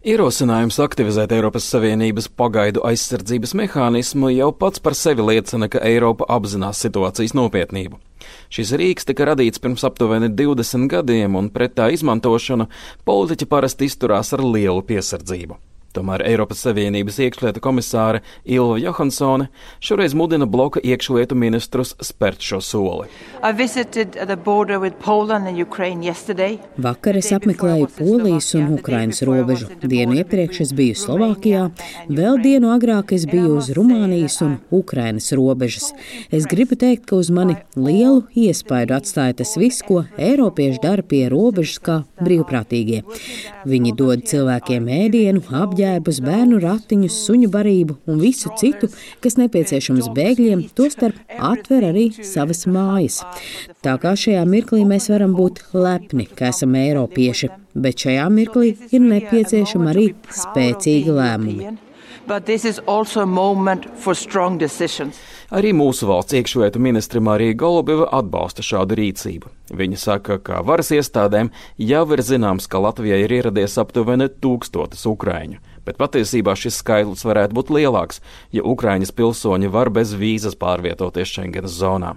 Ierosinājums aktivizēt Eiropas Savienības pagaidu aizsardzības mehānismu jau pats par sevi liecina, ka Eiropa apzinās situācijas nopietnību. Šis rīks tika radīts pirms aptuveni 20 gadiem, un pret tā izmantošanu politiķi parasti izturās ar lielu piesardzību. Tomēr Eiropas Savienības iekšlietu komisāre Ylva Johansone šoreiz mudina bloka iekšlietu ministrus spērt šo soli. Vakar es apmeklēju Polijas un Ukrainas robežu. Dienu iepriekš es biju Slovākijā, vēl dienu agrāk es biju uz Rumānijas un Ukrainas robežas. Es gribu teikt, ka uz mani lielu iespaidu atstāja tas viss, ko eiropieši dara pie robežas kā brīvprātīgie. Viņi dod cilvēkiem ēdienu, apģērbu, bērnu ratiņus, suņu barību un visu citu, kas nepieciešams bēgļiem, tostarp atver arī savas mājas. Tā kā šajā mirklī mēs varam būt lepni, ka esam eiropieši, bet šajā mirklī ir nepieciešama arī spēcīga lēmumi. Arī mūsu valsts iekšlietu ministre Marija Golubieva atbalsta šādu rīcību. Viņa saka, ka varas iestādēm jau ir zināms, ka Latvijai ir ieradies aptuveni 1000 ukraiņu, bet patiesībā šis skaitlis varētu būt lielāks, ja Ukraiņas pilsoņi var bez vīzas pārvietoties Schengenas zonā.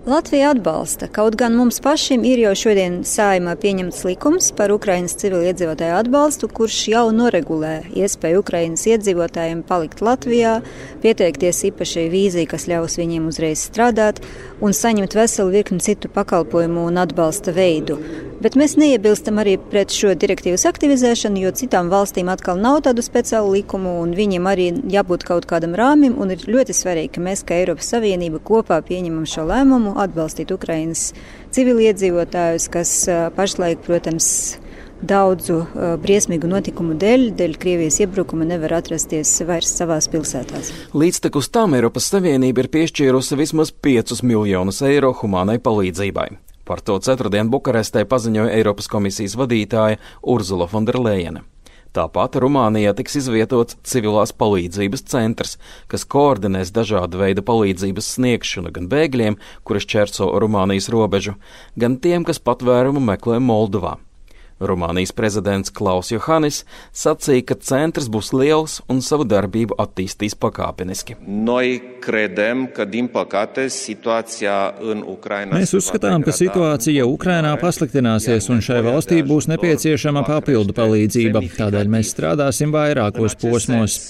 Latvija atbalsta, kaut gan mums pašiem ir jau šodien Saeimā pieņemts likums par Ukrainas civiliedzīvotāju atbalstu, kurš jau noregulē iespēju Ukrainas iedzīvotājiem palikt Latvijā, pieteikties īpašai vīzai, kas ļaus viņiem uzreiz strādāt un saņemt veselu virkni citu pakalpojumu un atbalsta veidu. Bet mēs neiebilstam arī pret šo direktīvas aktivizēšanu, jo citām valstīm atkal nav tādu speciālu likumu un viņiem arī jābūt kaut kādam rāmim, un ir ļoti svarīgi, ka mēs, kā Eiropas Savienība, kopā pieņemam šo lēmumu atbalstīt Ukrainas civiliedzīvotājus, kas pašlaik, protams, daudzu briesmīgu notikumu dēļ Krievijas iebrukuma nevar atrasties vairs savās pilsētās. Līdztekus tam Eiropas Savienība ir piešķīrusi vismaz 5 miljonus eiro humānai palīdzībai. Par to ceturtdien Bukarestē paziņoja Eiropas komisijas vadītāja Ursula von der Leyene. Tāpat Rumānijā tiks izvietots civilās palīdzības centrs, kas koordinēs dažādu veidu palīdzības sniegšanu gan bēgļiem, kuri šķērso Rumānijas robežu, gan tiem, kas patvērumu meklē Moldovā. Rumānijas prezidents Klaus Johannis sacīja, ka centrs būs liels un savu darbību attīstīs pakāpeniski. Mēs uzskatām, ka situācija Ukrainā pasliktināsies un šai valstī būs nepieciešama papildu palīdzība. Tādēļ mēs strādāsim vairākos posmos.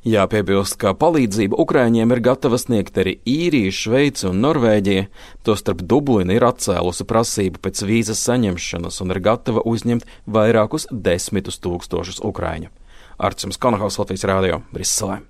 Jāpiebilst, ka palīdzību Ukraiņiem ir gatava sniegt arī Īrija, Šveice un Norvēģija, tostarp Dublina ir atcēlusi prasību pēc vīzas saņemšanas un ir gatava uzņemt vairākus 10 000 Ukraiņu. Arčuns Konahaus, Latvijas Rādio, Briselē.